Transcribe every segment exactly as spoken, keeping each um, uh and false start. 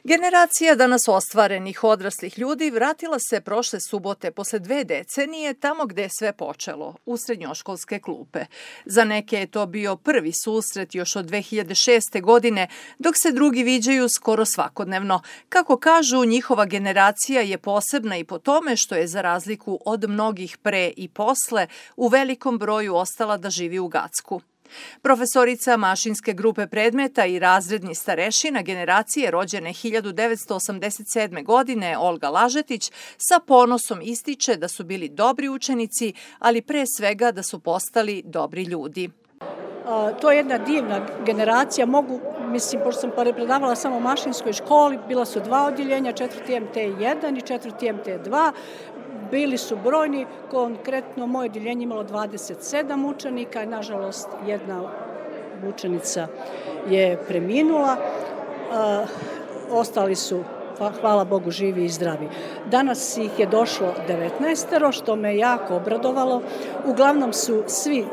Generacija danas ostvarenih odraslih ljudi vratila se prošle subote posle dve decenije tamo gde je sve počelo, u srednjoškolske klupe. Za neke je to bio prvi susret još od dve hiljade šeste. godine, dok se drugi viđaju skoro svakodnevno. Kako kažu, njihova generacija je posebna i po tome što je za razliku od mnogih pre i posle u velikom broju ostala da živi u Gacku. Profesorica mašinske grupe predmeta i razredni starešina generacije rođene hiljadu devetsto osamdeset sedme. godine Olga Lažetić sa ponosom ističe da su bili dobri učenici, ali pre svega da su postali dobri ljudi. To je jedna divna generacija, mogu, mislim, pošto sam predavala samo u mašinskoj školi, bila su dva odjeljenja, četvrti M T jedan i četvrti M T dva, bili su brojni, konkretno moje odjeljenje imalo dvadeset sedam učenika i nažalost jedna učenica je preminula, ostali su, hvala Bogu, živi i zdravi. Danas ih je došlo devetnaestero, što me jako obradovalo, uglavnom su svi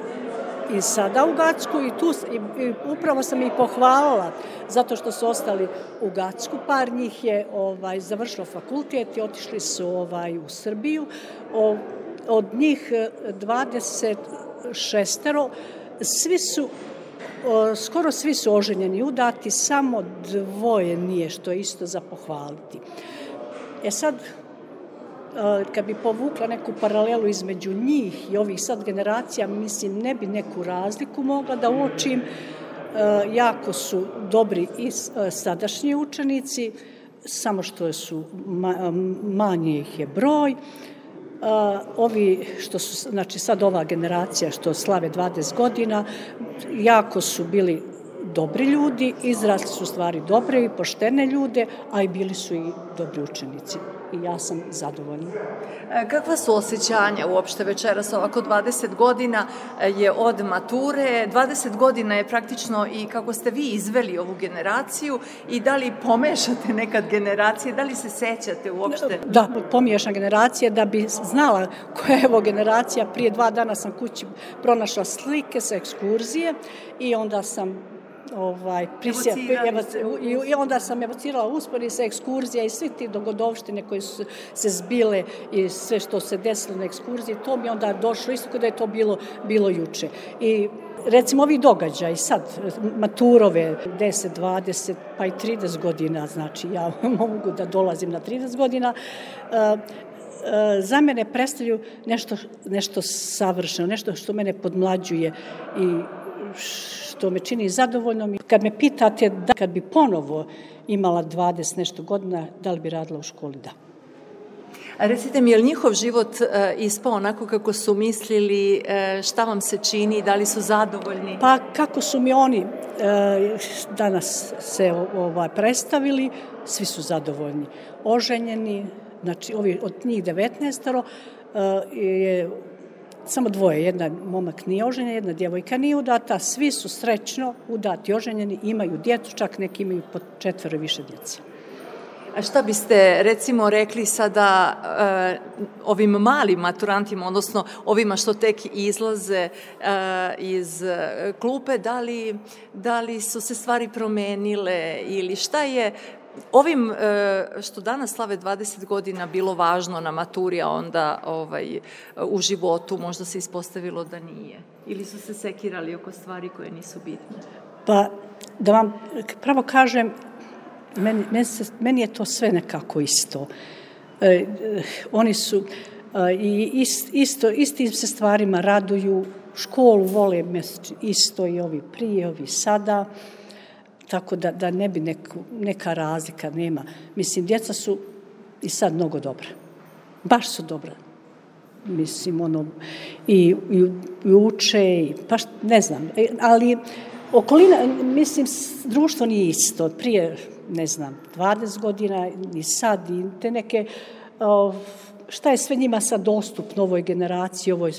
i sada u Gacku i tu i, i upravo sam ih pohvalila zato što su ostali u Gacku. Par njih je ovaj, završilo fakultet i otišli su ovaj, u Srbiju. O, od njih dvadeset šest. Svi su, o, skoro svi su oženjeni i udati, samo dvoje nije, što je isto za pohvaliti. E sad, kad bi povukla neku paralelu između njih i ovih sad generacija, mislim, ne bi neku razliku mogla da uočim. Jako su dobri i sadašnji učenici, samo što su manje ih je broj. Ovi što su, znači sad ova generacija što slave dvadeset godina, jako su bili dobri ljudi, izrasli su stvari dobre i poštene ljude, a i bili su i dobri učenici. I ja sam zadovoljna. Kakva su osjećanja uopšte večeras? Ovako dvadeset godina je od mature, dvadeset godina je praktično i kako ste vi izveli ovu generaciju i da li pomešate nekad generacije, da li se sećate uopšte? Da, pomiješam generacije da bi znala koja je ovo generacija. Prije dva dana sam kući pronašla slike sa ekskurzije i onda sam Ovaj, prisja, i, i onda sam evocirala uspori sa ekskurzija i svi ti dogodovštine koje su se zbile i sve što se desilo na ekskurziji, to mi onda došlo isto kada je to bilo, bilo juče. I recimo ovi događaj sad, maturove deset, dvadeset pa i trideset godina, znači ja mogu da dolazim na trideset godina, uh, za mene predstavljaju nešto, nešto savršeno, nešto što mene podmlađuje i što me čini zadovoljnom. Kad me pitate da kad bi ponovo imala dvadeset nešto godina, da li bi radila u školi? Da. A recite mi, je li njihov život e, ispao onako kako su mislili, e, šta vam se čini, da li su zadovoljni? Pa kako su mi oni e, danas se ovaj, predstavili, svi su zadovoljni. Oženjeni, znači ovi, od njih devetnaestero e, je samo dvoje, jedna momak nije oženjena, jedna djevojka nije udata, svi su srećno udati, oženjeni, imaju djecu, čak neki imaju po četvero više djece. A šta biste recimo rekli sada uh, ovim malim maturantima, odnosno ovima što tek izlaze uh, iz klupe, da li, da li su se stvari promenile ili šta je ovim što danas slave dvadeset godina bilo važno na maturi, a onda ovaj, u životu možda se ispostavilo da nije? Ili su se sekirali oko stvari koje nisu bitne? Pa, da vam pravo kažem, meni, meni, se, meni je to sve nekako isto. E, oni su e, ist, isto, istim se stvarima raduju, školu vole isto i ovi prije, ovi sada, tako da, da ne bi neku, neka razlika nema. Mislim, djeca su i sad mnogo dobra. Baš su dobra. Mislim, ono, i, i, i uče, i, pa ne znam, ali okolina, mislim, društvo nije isto. Prije, ne znam, dvadeset godina, i sad, i te neke, o, šta je sve njima sad dostupno ovoj generaciji, ovoj,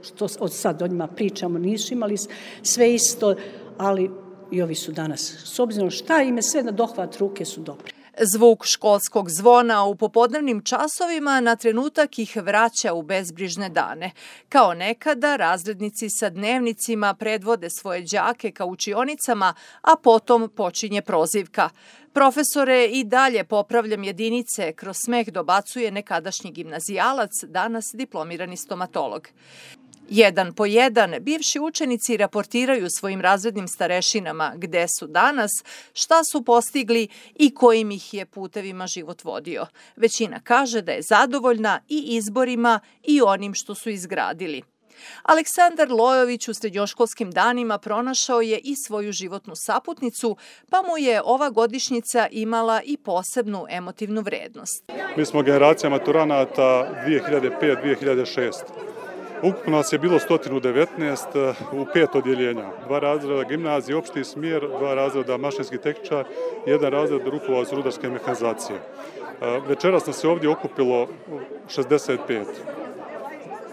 što od sad o njima pričamo, nisu imali sve isto, ali i ovi su danas. S obzirom šta im je sve na dohvat ruke su dobri. Zvuk školskog zvona u popodnevnim časovima na trenutak ih vraća u bezbrižne dane. Kao nekada, razrednici sa dnevnicima predvode svoje đake ka učionicama, a potom počinje prozivka. Profesore, i dalje popravljam jedinice, kroz smeh dobacuje nekadašnji gimnazijalac, danas diplomirani stomatolog. Jedan po jedan, bivši učenici raportiraju svojim razrednim starešinama gde su danas, šta su postigli i kojim ih je putevima život vodio. Većina kaže da je zadovoljna i izborima i onim što su izgradili. Aleksandar Lojović u srednjoškolskim danima pronašao je i svoju životnu saputnicu, pa mu je ova godišnjica imala i posebnu emotivnu vrednost. Mi smo generacija maturanata dve hiljade pete do dve hiljade šeste. Ukupno nas je bilo sto devetnaest u pet odjeljenja. Dva razreda gimnazije, opšti smjer, dva razreda mašinski tehničar i jedan razred rukovodeč rudarske mehanizacije. Večeras nas je ovdje okupilo šezdeset pet.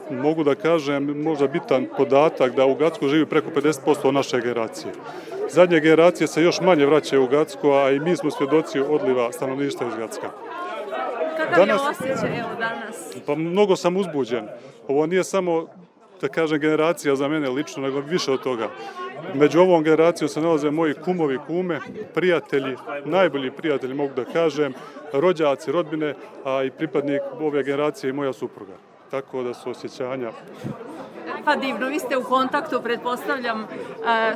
Mogu da kažem, možda bitan podatak da u Gacku živi preko pedeset posto naše generacije. Zadnje generacije se još manje vraćaju u Gacku, a i mi smo svjedoci odliva stanovništva iz Gacka. Kakav je osjećaj evo danas? Pa mnogo sam uzbuđen. Ovo nije samo, da kažem, generacija za mene lično, nego više od toga. Među ovom generacijom se nalaze moji kumovi, kume, prijatelji, najbolji prijatelji, mogu da kažem, rođaci, rodbine, a i pripadnik ove generacije i moja supruga. Tako da su osjećanja. Pa divno, vi ste u kontaktu, pretpostavljam,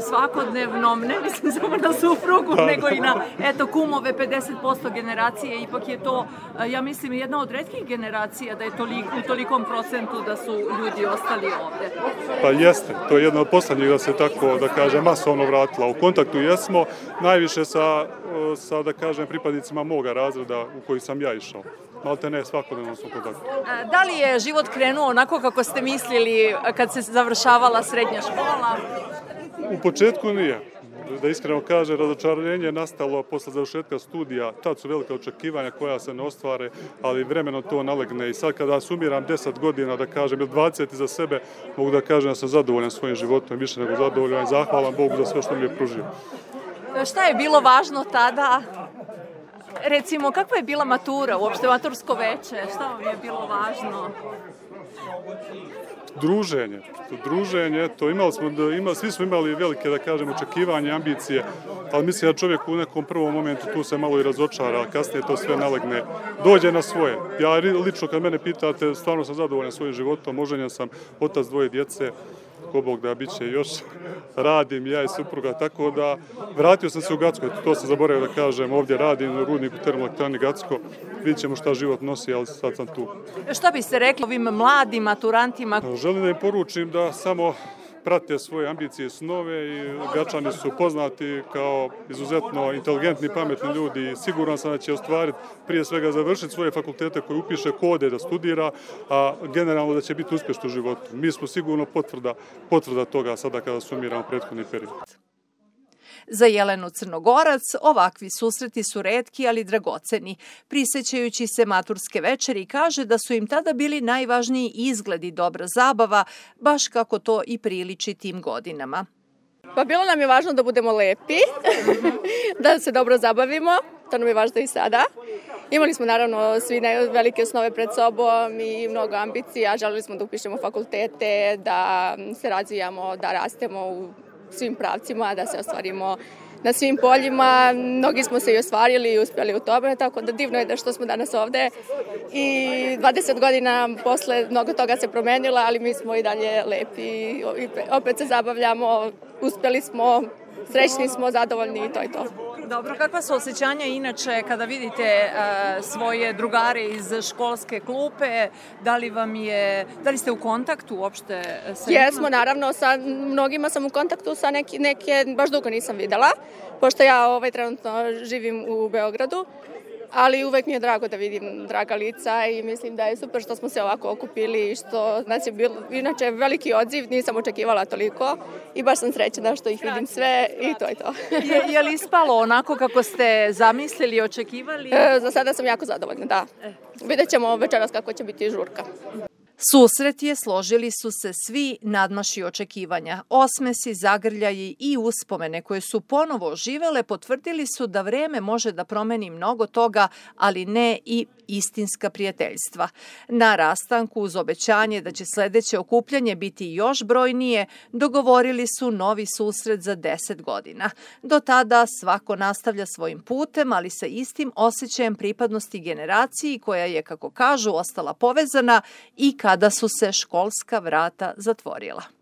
svakodnevnom, ne mislim samo na suprugu, nego i na, eto, kumove, pedeset posto generacije, ipak je to, ja mislim, jedna od retkih generacija da je toliko, u tolikom procentu da su ljudi ostali ovde. Pa jeste, to je jedna od poslednjih da se tako, da kažem, masovno vratila. U kontaktu jesmo, najviše sa, sa da kažem, pripadnicima moga razreda u koji sam ja išao. Malte ne, svakodnevno su u kontaktu. Da li je život krenuo onako kako ste mislili kad se završavala srednja škola? U početku nije. Da iskreno kaže, razočarenje je nastalo posle završetka studija. Tad su velika očekivanja koja se ne ostvare, ali vremeno to nalegne. I sad kada sumiram deset godina, da kažem, ili dvadeset za sebe, mogu da kažem da sam zadovoljan svojim životom, više nego zadovoljan i zahvalan Bogu za sve što mi je pružio. Šta je bilo važno tada? Recimo, kakva je bila matura, uopšte matursko veče? Šta vam je bilo važno? Druženje. To druženje, to imali smo, imali, svi smo imali velike, da kažem, očekivanje, ambicije, ali mislim da čovjek u nekom prvom momentu tu se malo i razočara, a kasnije to sve nalegne, dođe na svoje. Ja lično, kad mene pitate, stvarno sam zadovoljan svojim životom, oženjen sam, otac dvoje djece, ko Bog da bit će još, radim ja i supruga, tako da vratio sam se u Gacko, to sam zaboravio da kažem, ovdje radim u rudniku termoelektrani Gacko, vidjet ćemo šta život nosi, ali sad sam tu. Šta biste rekli ovim mladim maturantima? Želim da im poručim da samo prate svoje ambicije i snove i Gačani su poznati kao izuzetno inteligentni, pametni ljudi i siguran sam da će ostvariti, prije svega završiti svoje fakultete koje upiše, kode da studira, a generalno da će biti uspješni u životu. Mi smo sigurno potvrda, potvrda toga sada kada sumiramo prethodni period. Za Jelenu Crnogorac ovakvi susreti su retki, ali dragoceni. Prisećajući se maturske večeri, kaže da su im tada bili najvažniji izgled i dobra zabava, baš kako to i priliči tim godinama. Pa bilo nam je važno da budemo lepi, da se dobro zabavimo, to nam je važno i sada. Imali smo naravno svi velike snove pred sobom i mnogo ambicija, želeli smo da upišemo fakultete, da se razvijamo, da rastemo u svim pravcima, da se ostvarimo na svim poljima. Mnogi smo se i ostvarili i uspjeli u tome, tako da divno je da što smo danas ovde. I dvadeset godina posle mnogo toga se promenilo, ali mi smo i dalje lepi i opet se zabavljamo, uspjeli smo, srećni smo, zadovoljni i to je to. Dobro, kakva su osjećanja inače kada vidite uh, svoje drugare iz školske klupe? Da li vam je, da li ste u kontaktu uopšte sa njima? Jesmo, naravno, sa mnogima sam u kontaktu, sa neki, neke baš dugo nisam videla, pošto ja ovaj, trenutno živim u Beogradu, ali uvek mi je drago da vidim draga lica i mislim da je super što smo se ovako okupili i što nas je bilo, inače veliki odziv, nisam očekivala toliko i baš sam srećna što ih vidim sve i to je to. Je, je li ispalo onako kako ste zamislili, očekivali? E, za sada sam jako zadovoljna, da. Vidjet ćemo večeras kako će biti žurka. Susret je, složili su se svi, nadmašio očekivanja. Osmesi, zagrljaji i uspomene koje su ponovo oživele potvrdili su da vreme može da promeni mnogo toga, ali ne i istinska prijateljstva. Na rastanku, uz obećanje da će sledeće okupljanje biti još brojnije, dogovorili su novi susret za deset godina. Do tada svako nastavlja svojim putem, ali sa istim osjećajem pripadnosti generaciji koja je, kako kažu, ostala povezana i kada su se školska vrata zatvorila.